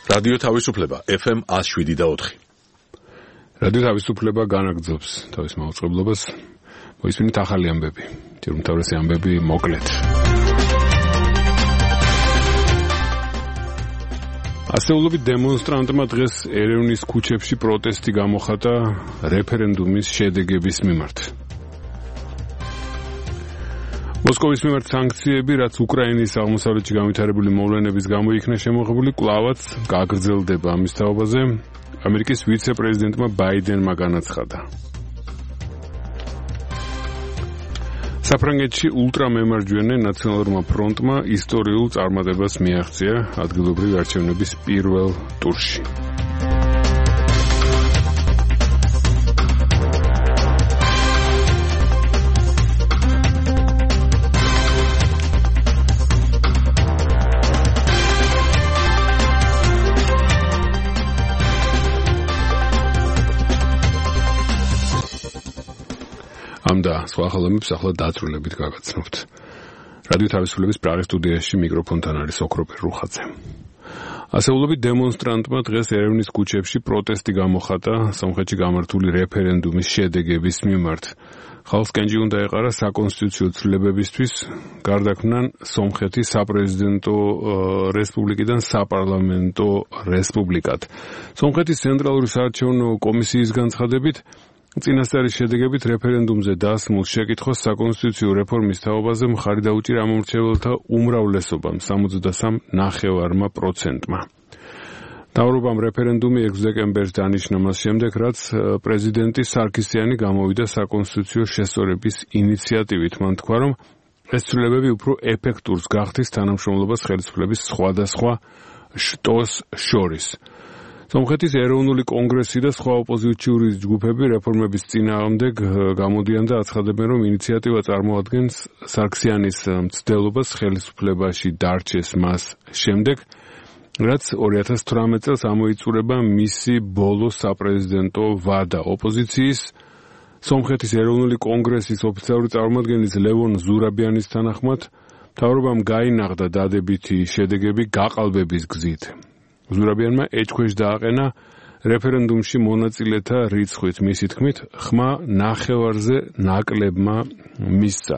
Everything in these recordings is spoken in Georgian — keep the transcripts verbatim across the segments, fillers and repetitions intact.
რადიო თავისუფლება ეფ ემ one oh seven point four. რადიო თავისუფლება განაგრძობს თავის მაუწყებლობას. მოისმინეთ ახალი ამბები. ჯერ უმთავრესი ამბები მოკლედ. ასეულობით დემონსტრანტმა დღეს ერევნის ქუჩებში პროტესტი გამოხატა რეფერენდუმის შედეგების მიმართ. მოსკოვის მიმართ სანქციები, რაც უკრაინის აღმოსავლეთში განვითარებული მოვლენების გამო იქნა შემოღებული, კვლავაც გაგრძელდება. ამის თაობაზე ამერიკის ვიცე-პრეზიდენტმა ბაიდენმა განაცხადა. საფრანგეთში ულტრამემარჯვენე ნაციონალურმა ფრონტმა ისტორიულ წარმატებას მიაღწია ადგილობრივი არჩევნების პირველ ტურში. ამდა სხვა ხელოვნების ახლა დაწვრილებით გაგაცნობთ. რადიო თავისუფლების პრაღის სტუდიაში მიკროფონთან არის ოქროპერ რუხაძე. ასეულობით დემონსტრანტმა დღეს ერევნის ქუჩებში პროტესტი გამოხატა სომხეთში გამართული რეფერენდუმის შედეგების მიმართ. ხალხს კენჭი უნდა ეყარა საკონსტიტუციო ცვლილებებისთვის, გარდაქმნან სომხეთის საპრეზიდენტო რესპუბლიკიდან საპარლამენტო რესპუბლიკად. სომხეთის ცენტრალური საარჩევნო კომისიის განცხადებით, წინასწარი შედეგებით რეფერენდუმზე დასმულ შეკითხვას საკონსტიტუციო რეფორმის თაობაზე მხარი დაუჭირა ამომრჩეველთა უმრავლესობამ სამოცდასამ ნახევარმა პროცენტმა. მთავრობამ რეფერენდუმი ექვსი დეკემბერს დანიშნა მას შემდეგ, რაც პრეზიდენტი სარქისიანი გამოვიდა საკონსტიტუციო შესწორების ინიციატივით. მან თქვა, რომ ეს ცვლილებები უფრო ეფექტურს გახდის თანამშრომლობას ხელისუფლების სხვადასხვა შტოს შორის. სომხეთის ეროვნული კონგრესი და სხვა ოპოზიციური ჯგუფები რეფორმების წინააღმდეგ გამოდიან და აცხადებენ, რომ ინიციატივა წარმოადგენს სარქისიანის მცდელობას ხელისუფლებაში დარჩეს მას შემდეგ, რაც ორი ათას თვრამეტ წელს ამოიწურება მისი ბოლო საპრეზიდენტო ვადა. ოპოზიციის სომხეთის ეროვნული კონგრესის ოფიციალური წარმომადგენლის ლევონ ზურაბიანის თანახმად, მთავრობამ გაინაღდა დადებითი შედეგები გაყალბების გზით. ზურაბიანმა ეჭქვეშ დააყენა რეფერენდუმში მონაწილეთა რიცხვით. მისი თქმით, ხმა ნახევარზე ნაკლებმა მისცა.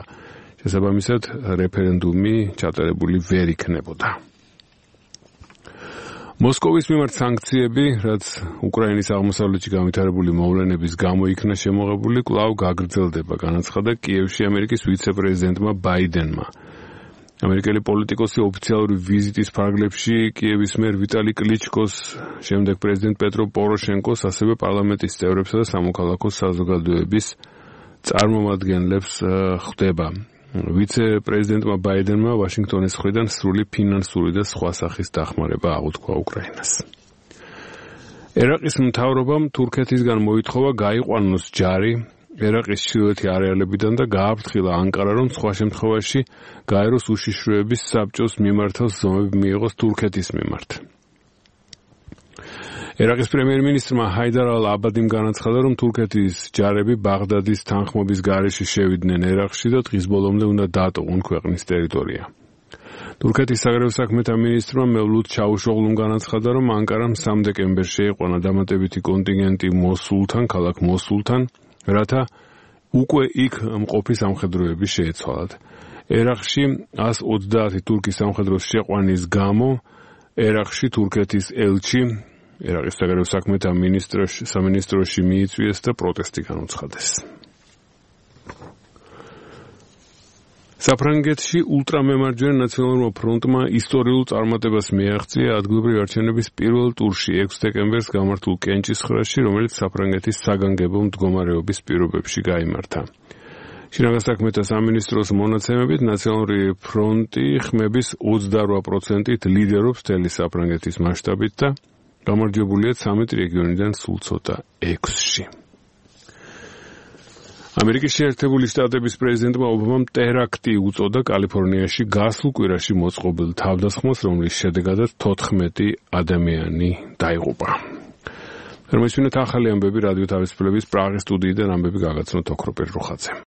შესაბამისად, რეფერენდუმი ჩატარებული ვერ იქნებოდა. მოსკოვის მიმართ სანქციები, რაც უკრაინის აღმოსავლეთში განვითარებული მოვლენების გამო იქნა შემოღებული, კვლავ გაგრძელდება, განაცხადა კიევში ამერიკის ვიცე-პრეზიდენტმა ბაიდენმა. ამერიკელი პოლიტიკოსი ოფიციალური ვიზიტის ფარგლებში კიევის მერ ვიტალი კლიჩკოს, შემდეგ პრეზიდენტ პეტრო პოროშენკოს, ასევე პარლამენტის წევრებსა და სამოქალაქო საზოგადოების წარმომადგენლებს ხვდება. ვიცე-პრეზიდენტმა ბაიდენმა ვაშინგტონის მხრიდან სრული ფინანსური და სხვა სახის დახმარება აღუთქვა უკრაინას. ერაყის მთავრობამ თურქეთისგან მოითხოვა გაიყვანოს ჯარი ერაყის ჩრდილოეთი არეალებიდან და გააფრთხილა ანკარა, რომ სხვა შემთხვევაში გაეროს უშიშროების საბჭოს მიმართავს ზომები მიიღოს თურქეთის მიმართ. ერაყის პრემიერ-მინისტრმა ჰაიდარ ალ-აბადიმ განაცხადა, რომ თურქეთის ჯარები ბაღდადის თანხმობის გარეშე შევიდნენ ერაყში და დღის ბოლომდე უნდა დაატოვონ ქვეყნის ტერიტორია. თურქეთის საგარეო საქმეთა მინისტრმა მევლութ ჩავუშოღლუმ განაცხადა, რომ ანკარამ სამი დეკემბერს შეიყვანა დამატებითი კონტინგენტი მოსულთან, ქალაქ მოსულთან, რათა უკვე იქ მყოფი სამხედროები შეეცვალათ. ერაყში ას ოცდაათი თურქის სამხედროს შეყვანის გამო ერაყში თურქეთის ელჩი ერაყის საგარეო საქმეთა მინისტროში სამინისტროში მიიწვიეს და პროტესტი განუცხადეს. საფრანგეთში ულტრამემარჯვენე ნაციონალურმა ფრონტმა ისტორიულ წარმატებას მიაღწია ადგილობრივი არჩევნების პირველ ტურში ექვსი დეკემბერს გამართულ კენჭისყრაში, რომელიც საფრანგეთის საგანგებო მდგომარეობის პირობებში გაიმართა. შინაგან საქმეთა სამინისტროს მონაცემებით ნაციონალური ფრონტი ხმების ოცდარვა პროცენტით ლიდერობს მთელი საფრანგეთის მასშტაბით და გამარჯვებულია ცამეტ რეგიონიდან სულ ცოტა ექვსში. ამერიკის შეერთებული შტატების პრეზიდენტმა ობამამ ტერაქტი უწოდა კალიფორნიაში გასულ კვირაში მოწყობილ თავდასხმას, რომლის შედეგადაც თოთხმეტი ადამიანი დაიღუპა. რომ ისინი ახალი ამბები რადიო თავისუფლების პრაღის სტუდიიდან ამბები გაგაცნოთ ოქროპერ რუხაძე.